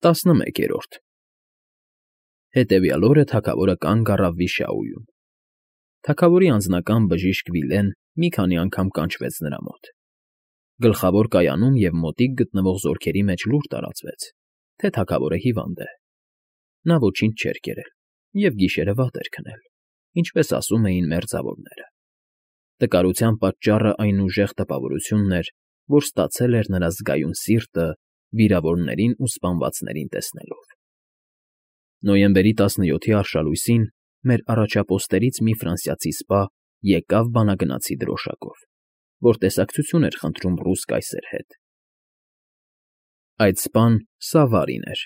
11 Հետևյալ օրը թագավորը կանգ առավ վիշաուում. թագավորի անձնական բժիշկ Վիլեն մի քանի անգամ կանչվեց նրա մոտ. գլխավոր կայանում և մոտիկ գտնվող զորքերի մեջ լուր տարածվեց, թե թագավորը հիվանդ է. նա ոչինչ չէր կերել և գիշերը վատ էր քնել, ինչպես ասում էին մերձավորները. տկարության պատճառը այն ուժեղ տպավորությունն էր, որ ստացել էր նրա զգայուն սիրտը վիրավորներին ու սպանվածներին տեսնելով։ Նոյեմբերի 17-ի արշալույսին մեր առաջապոստերից մի ֆրանսիացի սպա եկավ բանագնացի դրոշակով, որ տեսակցություն էր խնդրում ռուս կայսեր հետ։ Այդ սպան Սավարին էր։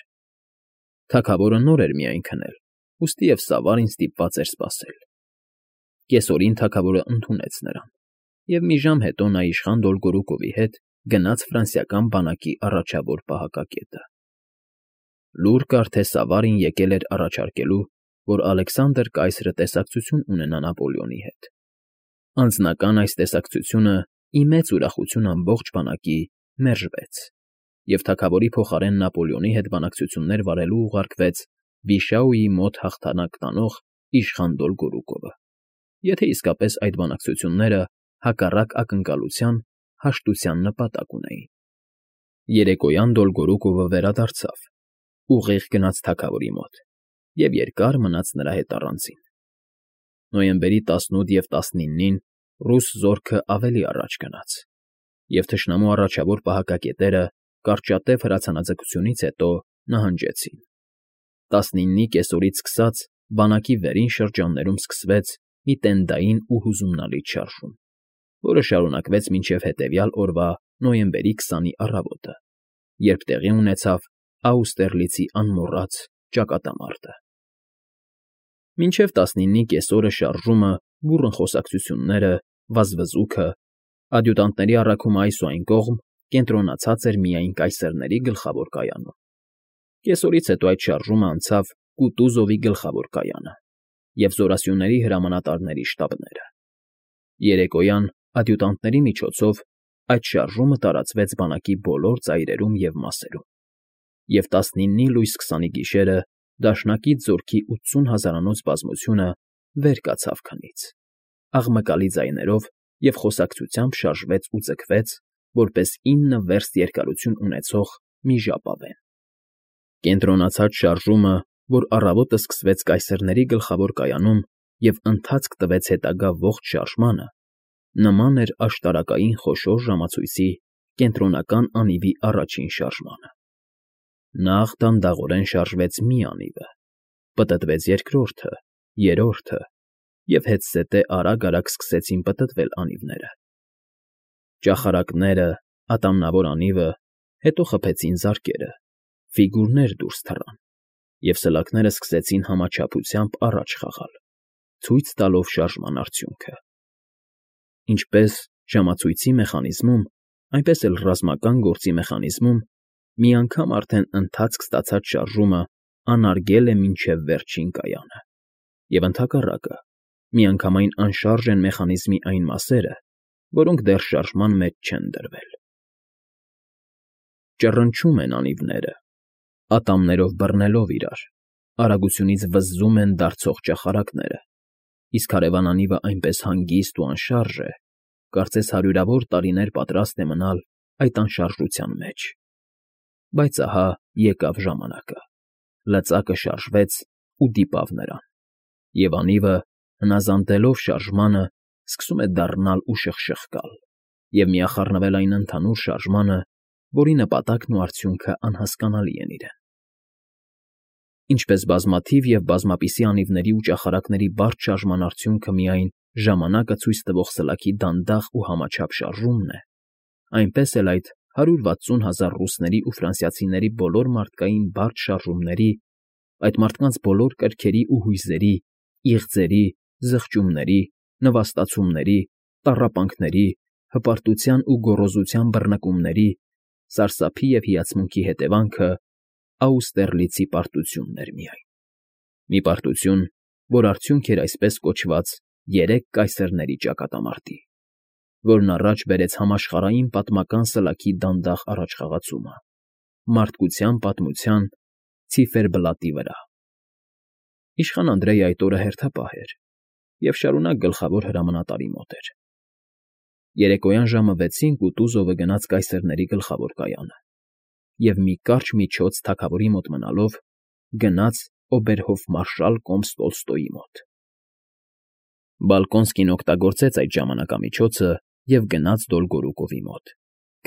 Թագավորը նոր էր միայն քնել, ուստիև Սավարին ստիպված էր սպասել։ Կեսօրին թագավորը ընդունեց նրան, և մի ժամ հետո նա իշխան Դոլգորուկովի հետ գնաց ֆրանսիական բանակի առաջավոր պահակակետը։ Լուր կար, թե Սավարին եկել էր առաջարկելու, որ Ալեքսանդր կայսրը տեսակցություն ունենա Նապոլեոնի հետ։ Անձնական այս տեսակցությունը ի մեծ ուրախություն ամբողջ բանակի մերժվեց, և թագավորի փոխարեն Նապոլեոնի հետ բանակցություններ վարելու ուղարկվեց Վիշաուի մոտ հաղթանակ տանող իշխան Դոլգորուկովը, եթե իսկապես այդ բանակցությունները հակառակ ակնկալության հաշտության նպատակ ունեին։ Երեկոյան Դոլգորուկովը վերադարձավ, ուղիղ գնաց թագավորի մոտ և երկար մնաց նրա հետ առանձին։ Նոյեմբերի 18 և 19-ին ռուս զորքը ավելի առաջ գնաց, և թշնամու առաջավոր պահակակետերը կարճատև հրացանաձգությունից հետո նահանջեցին։ 19-ի կեսօրից սկսած բանակի վերին շրջաններում սկսվեց մի տենդային ու հուզումնալից շարժում, որը շարունակվեց մինչև հետևյալ օրվա նոյեմբերի 20-ի առավոտը, երբ տեղի ունեցավ Աուստերլիցի անմոռաց ճակատամարտը։ Մինչև 19-ի կեսօրը շարժումը, բուռն խոսակցությունները, վազվզուքը, ադյուտանտների առաքումը այս ու այն կողմ կենտրոնացած էր միայն կայսերների գլխավոր կայանում։ Կեսօրից հետո այդ շարժումը անցավ Կուտուզովի գլխավոր կայանը և զորասյուների հրամանատարների շտաբները։ Երեկոյան ադյուտանտների միջոցով այդ շարժումը տարածվեց բանակի բոլոր ծայրերում և մասերում, և 19-ի լույս 20-ի գիշերը դաշնակից զորքի 80 հազարանոց բազմությունը վեր կացավ քնից, աղմկալի ձայներով և խոսակցությամբ շարժվեց ու ձգվեց, որպես 9 վերստ երկարություն ունեցող մի ժապավեն։ Կենտրոնացած շարժումը, որ առավոտը սկսվեց կայսերների գլխավոր կայանում և ընթացք տվեց հետագա ողջ շարժմանը, նման էր աշտարակային խոշոր ժամացույցի կենտրոնական անիվի առաջին շարժմանը։ Նախ դանդաղորեն շարժվեց մի անիվը, պտտվեց երկրորդը, երրորդը, և հետզհետե արագ֊արագ սկսեցին պտտվել անիվները։ Ճախարակները, ատամնավոր անիվը, հետո խփեցին զարկերը, ֆիգուրներ դուրս թռան, և սլաքները սկսեցին համաչափությամբ առաջ խաղալ, ցույց տալով շարժման արդյունքը։ Ինչպես ժամացույցի մեխանիզմում, այնպես էլ ռազմական գործի մեխանիզմում մի անգամ արդեն ընթացք ստացած շարժումը անարգել է մինչև վերջին կայանը, և ընդհակառակը, միանգամայն անշարժ են մեխանիզմի այն մասերը, որոնք դեռ շարժման մեջ չեն դրվել։ Ճռնչում են անիվները, ատամներով բռնելով իրար, արագությունից վզզում են դարձող ճախարակները, իսկ հարևան անիվը այնպես հանգիստ ու անշարժ է, կարծես հարյուրավոր տարիներ պատրաստ է մնալ այդ անշարժության մեջ։ Բայց ահա եկավ ժամանակը, լծակը շարժվեց ու դիպավ նրան, և անիվը, հնազանդելով շարժմանը, սկսում է դառնալ ու շխշխկալ և միախառնվել այն ընդհանուր շարժմանը, որի նպատակն ու արդյունքը անհասկանալի են իրեն։ Ինչպես բազմաթիվ և բազմապիսի անիվների ու ճախարակների բարդ շարժման արդյունքը միայն ժամանակը ցույց տվող սլաքի դանդաղ ու համաչափ շարժումն է, այնպես էլ այդ 160 հազար ռուսների ու ֆրանսիացիների բոլոր մարդկային բարդ շարժումների, այդ մարդկանց բոլոր կրքերի ու հույզերի, իղձերի, զղջումների, նվաստացումների, տառապանքների, հպարտության ու գոռոզության բռնկումների, սարսափի և հիացմունքի հետևանքը Աուստերլիցի պարտությունն էր միայն։ Մի պարտություն, որ արդյունք էր այսպես կոչված 3 կայսերների ճակատամարտի, որն առաջ բերեց համաշխարհային պատմական սլաքի դանդաղ առաջխաղացումը, մարդկության պատմության ցիֆերբլատի վրա։ Իշխան Անդրեյը այդ օրը հերթապահ էր և շարունակ գլխավոր հրամանատարի մոտ էր։ Երեկոյան ժամը 6-ին Կուտուզովը գնաց կայսերների գլխավոր կայանը և մի կարճ միջոց թագավորի մոտ մնալով գնաց օբերհոֆմարշալ կոմս Տոլստոյի մոտ։ Բալկոնսկին օգտագործեց այդ ժամանակամիջոցը և գնաց Դոլգորուկովի մոտ,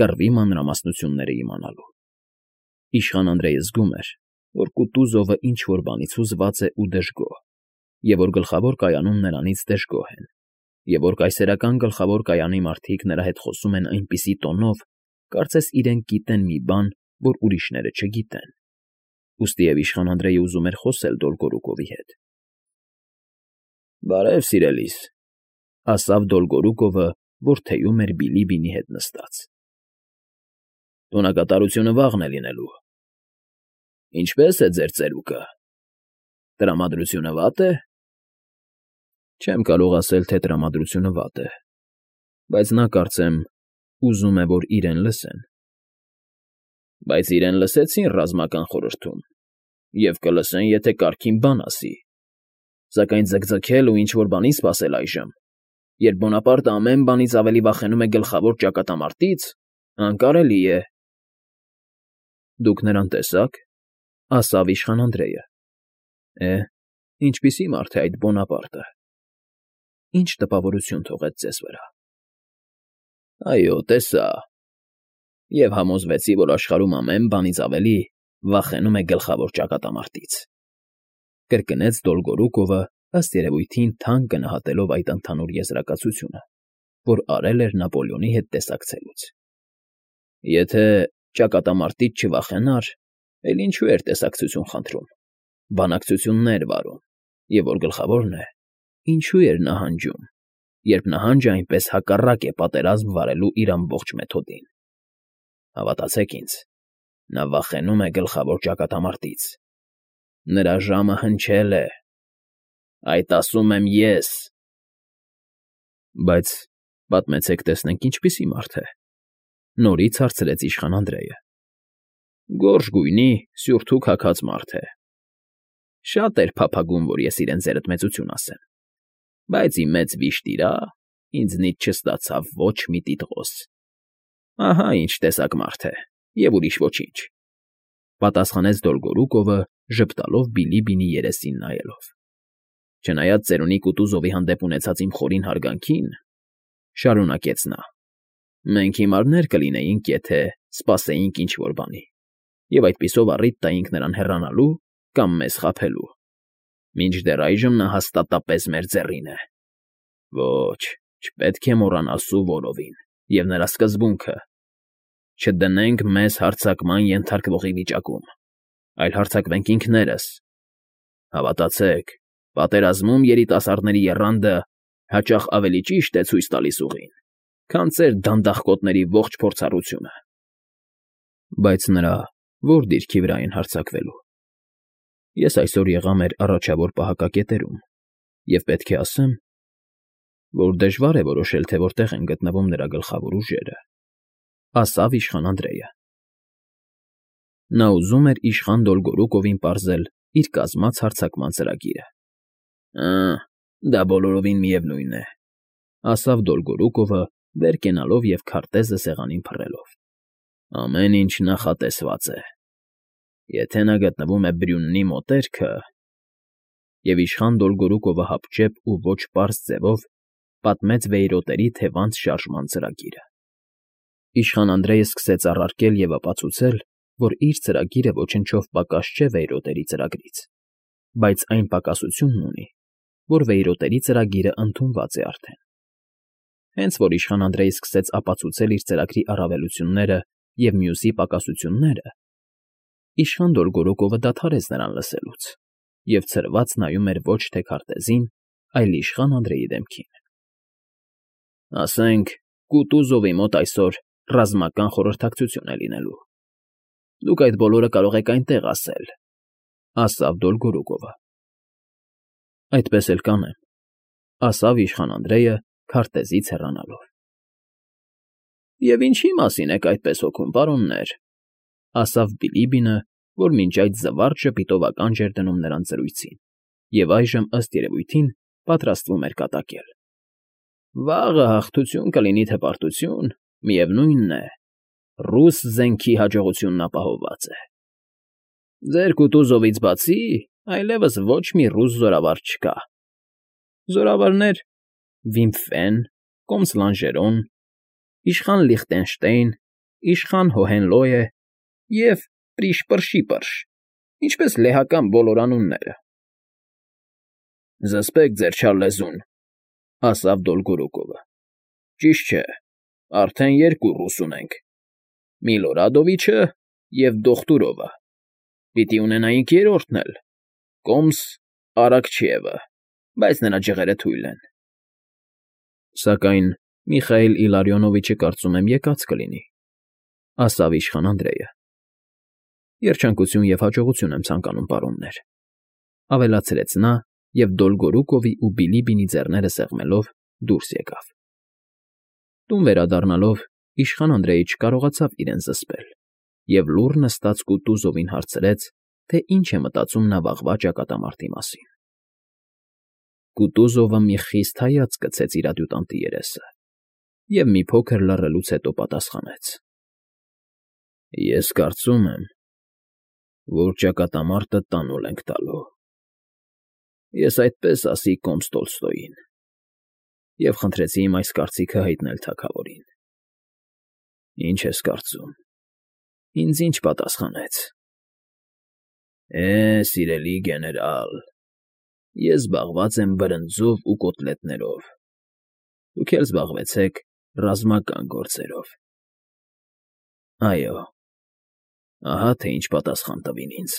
կռվի մանրամասնությունները իմանալու։ Իշխան Անդրեյը զգում էր, որ Կուտուզովը ինչ֊որ բանից հուզված է ու դժգոհ, և որ գլխավոր կայանում նրանից դժգոհ են, և որ կայսերական գլխավոր կայանի մարդիկ նրա հետ խոսում են այնպիսի տոնով, կարծես իրենք գիտեն մի բան, որ ուրիշները չգիտեն։ Ուստիև իշխան Անդրեյը ուզում էր խոսել Դոլգորուկովի հետ։ «Բարև, սիրելիս», ասավ Դոլգորուկովը, որ թեյում էր Բիլիբինի հետ նստած։ «Տոնակատարությունը վաղն է լինելու։ Ինչպե՞ս է ձեր ծերուկը։ Տրամադրությունը վատ է»։ «Չեմ կարող ասել, թե տրամադրությունը վատ է, բայց նա, կարծեմ, ուզում է, որ իրեն լսեն»։ «Բայց իրեն լսեցին ռազմական խորհրդում և կլսեն, եթե կարգին բան ասի, սակայն ձգձգել ու ինչ֊որ բանի սպասել այժմ, երբ Բոնապարտը ամեն բանից ավելի վախենում է գլխավոր ճակատամարտից, անկարելի է»։ «Դուք նրան տեսա՞ք», ասավ իշխան Անդրեյը։ Ինչպիսի մարդ է այդ Բոնապարտը։ Ինչ տպավորություն թողեց ձեզ վրա։ «Այո, տեսա, և համոզվեցի, որ աշխարհում ամեն բանից ավելի վախենում է գլխավոր ճակատամարտից», կրկնեց Դոլգորուկովը, ըստ երևույթին թանկ գնահատելով այդ ընդհանուր եզրակացությունը, որ արել էր Նապոլեոնի հետ տեսակցելուց։ «Եթե ճակատամարտից չվախենար, էլ ինչու էր տեսակցություն խնդրում, բանակցություններ վարում, և որ գլխավորն է, ինչու էր նահանջում, երբ նահանջը այնպես հակառակ է պատերազմ վարելու իր ամբողջ մեթոդին։ Հավատացեք ինձ, նա վախենում է գլխավոր ճակատամարտից։ Նրա ժամը հնչել է։ Այդ ասում եմ ես»։ «Բայց պատմեցեք, տեսնենք ինչպիսի մարդ է», նորից հարցրեց իշխան Անդրեյը։ «Գորշ գույնի, սյուրթուք հագած մարդ է։ Շատ էր փափագում, որ ես իրեն ձերդ մեծություն ասեմ, բայց ի մեծ վիշտ իրա, ինձնից չստացավ ոչ մի տիտղոս։ Ահա ինչ տեսակ մարդ է, և ուրիշ ոչինչ», պատասխանեց Դոլգորուկովը, ժպտալով Բիլիբինի երեսին նայելով։ «Չնայած ծերունի Կուտուզովի հանդեպ ունեցած իմ խորին հարգանքին, շարունակեց նա, մենք հիմարներ կլինեինք, եթե սպասեինք ինչ֊որ բանի, և այդպիսով առիթ տայինք նրան հեռանալու կամ մեզ խաբելու։ Մինչդեռ այժմ նա հաստատապես մեր ձեռին է։ Ոչ, չպետք է մոռանալ Սուվորովին և նրա սկզբունքը. չդնենք մեզ հարձակման ենթարկվողի վիճակում, այլ հարձակվենք ինքներս։ Հավատացեք, պատերազմում երիտասարդների եռանդը հաճախ ավելի ճիշտ է ցույց տալիս ուղին, քան ձեր դանդաղկոտների ողջ փորձառությունը»։ «Բայց նրա ո՞ր դիրքի վրա են հարձակվելու։ Ես այսօր եղա մեր առաջավոր պահակակետերում և պետք է ասեմ, որ դժվար է որոշել, թե որտեղ են գտնվում նրա գլխավոր ուժերը», ասավ իշխան Անդրեյը։ Նա ուզում էր իշխան Դոլգորուկովին պարզել իր կազմած հարձակման ծրագիրը։ Դա բոլորովին միևնույն է», ասավ Դոլգորուկովը, վեր կենալով և քարտեզը սեղանին փռելով։ «Ամեն ինչ նախատեսված է։ Եթե նա գտնվում է Բրյուննի մոտերքը…» Եվ իշխան Դոլգորուկովը հապճեպ ու ոչ պարզ ձևով պատմեց վեյրոտերի թևանց շարժման ծրագիրը։ Իշխան Անդրեյը սկսեց առարկել և ապացուցել, որ իր ծրագիրը ոչնչով պակաս չէ վեյրոտերի ծրագրից, բայց այն պակասությունն ունի, որ վեյրոտերի ծրագիրը ընդունված է արդեն։ Հենց որ իշխան Անդրեյը սկսեց ապացուցել իր ծրագրի առավելությունները և մյուսի պակասությունները, իշխան Դոլգորուկովը դադարեց նրան լսելուց և ցրված նայում էր ոչ թե քարտեզին, այլ իշխան Անդրեյի դեմքին։ «Ասենք, Կուտուզովի մոտ այսօր ռազմական խորհրդակցություն է լինելու։ Դուք այդ բոլորը կարող եք այնտեղ ասել», ասավ Դոլգորուկովը։ «Այդպես էլ կանեմ», ասավ իշխան Անդրեյը, քարտեզից հեռանալով։ «Եվ ինչի՞ մասին եք այդպես հոգում, պարոններ», ասավ Բիլիբինը, որ մինչ այդ զվարճ ժպիտով ականջ էր դնում նրանց զրույցին և այժմ, ըստ երևույթին, պատրաստվում էր կատակել։ Վաղը հաղթություն կլինի թե պարտություն, միևնույնն է, ռուս զենքի հաջողությունն ապահովված է։ Ձեր Կուտուզովից բացի այլևս ոչ մի ռուս զորավար չկա։ Զորավարներ Վիմֆեն, Կոմս Լանժերոն, իշխան Լիխտենշտեյն, իշխան Հոհենլոյե և Պրիշպրշիպրշ, ինչպես լեհական բոլոր անունները։ Զսպեք ձեր չար լեզուն, ասաց Դոլգորուկովը։ Ճիշտ չէ, արդեն երկու ռուս ունենք. Միլորադովիչը և Դոխտուրովը։ Պիտի ունենայինք երրորդն էլ՝ Կոմս Արաքչիևը, բայց նրա ջղերը թույլ են։ Սակայն Միխայիլ Իլարիոնովիչը կարծում եմ եկած կլինի, ասավ իշխան Անդրեյը։ Երջանկություն և հաջողություն եմ ցանկանում, պարոններ, ավելացրեց նա և Դոլգորուկովի ու Բիլիբինի ձեռները սեղմելով դուրս եկավ։ Տուն վերադառնալով իշխան Անդրեյը չկարողացավ իրեն զսպել և լուռ նստած Կուտուզովին հարցրեց, թե ինչ է մտածում նա վաղվա ճակատամարտի մասին։ Կուտուզովը մի խիստ հայացք գցեց իր ադյուտանտի երեսը և մի փոքր լռելուց հետո պատասխանեց. Ես կարծում եմ, որ ճակատամարտը տանուլ ենք տալու։ Ես այդպես ասի Կոմս Տոլստոյին և խնդրեցի իմ այս կարծիքը հայտնել թագավորին։ Ինչ ես կարծում, ինձ ինչ պատասխանեց։ Սիրելի գեներալ, ես զբաղված եմ բրնձով ու կոտլետներով, դուք էլ զբաղվեցեք ռազմական գործերով։ Այո, ահա թե ինչ պատասխան տվին ինձ։